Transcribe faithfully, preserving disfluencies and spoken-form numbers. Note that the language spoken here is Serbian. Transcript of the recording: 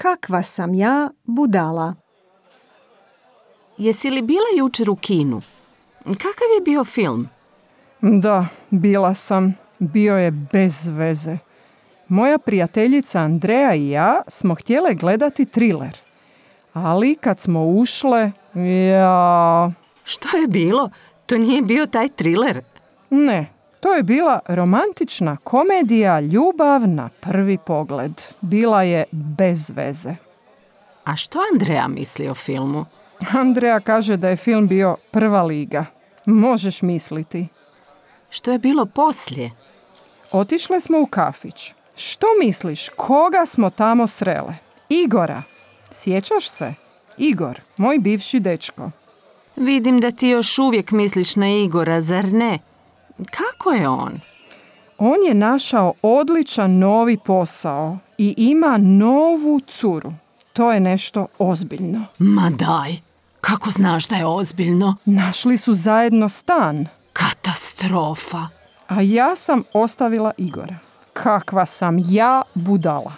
Kakva sam ja budala. Jesi li bila jučer u kinu? Kakav je bio film? Da, bila sam. Bio je bez veze. Moja prijateljica Andreja i ja smo htjele gledati triler. Ali kad smo ušle, ja... Što je bilo? To nije bio taj triler. Ne, to je bila romantična komedija Ljubav na prvi pogled. Bila je bez veze. A što Andreja misli o filmu? Andreja kaže da je film bio prva liga. Možeš misliti. Što je bilo poslije? Otišle smo u kafić. Što misliš, koga smo tamo srele? Igora. Sjećaš se? Igor, moj bivši dečko. Vidim da ti još uvijek misliš na Igora, zar ne? Kako je on? On je našao odličan novi posao i ima novu curu. To je nešto ozbiljno. Ma daj, kako znaš da je ozbiljno? Našli su zajedno stan. Katastrofa. A ja sam ostavila Igora. Kakva sam ja budala.